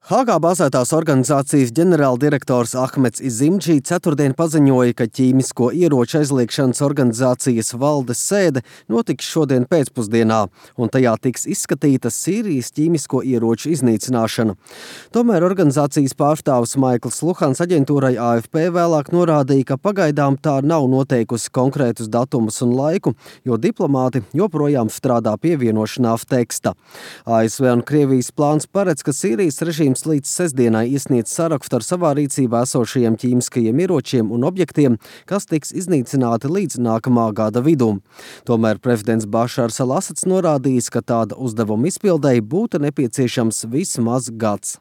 Hāgā bāzētās organizācijas ģenerāldirektors Ahmeds Izimdži ceturtdien paziņoja, ka ķīmisko ieroču aizliegšanas organizācijas valdes sēde notiks šodien pēcpusdienā, un tajā tiks izskatīta Sīrijas ķīmisko ieroču iznīcināšana. Tomēr organizācijas pārstāvis Maikls Luhans aģentūrai AFP vēlāk norādīja, ka pagaidām tā nav noteikusi konkrētus datumus un laiku, jo diplomāti joprojām strādā pie vienošanās teksta. ASV un Krievijas plāns paredz, ka Sīrijas režīms līdz sestdienai iesniedz sarakstu ar savā rīcībā esošajiem ķīmiskajiem ieročiem un objektiem, kas tiks iznīcināti līdz nākamā gada vidum. Tomēr prezidents Bašārs al-Asads norādījis, ka tāda uzdevuma izpildei būtu nepieciešams vismaz gads.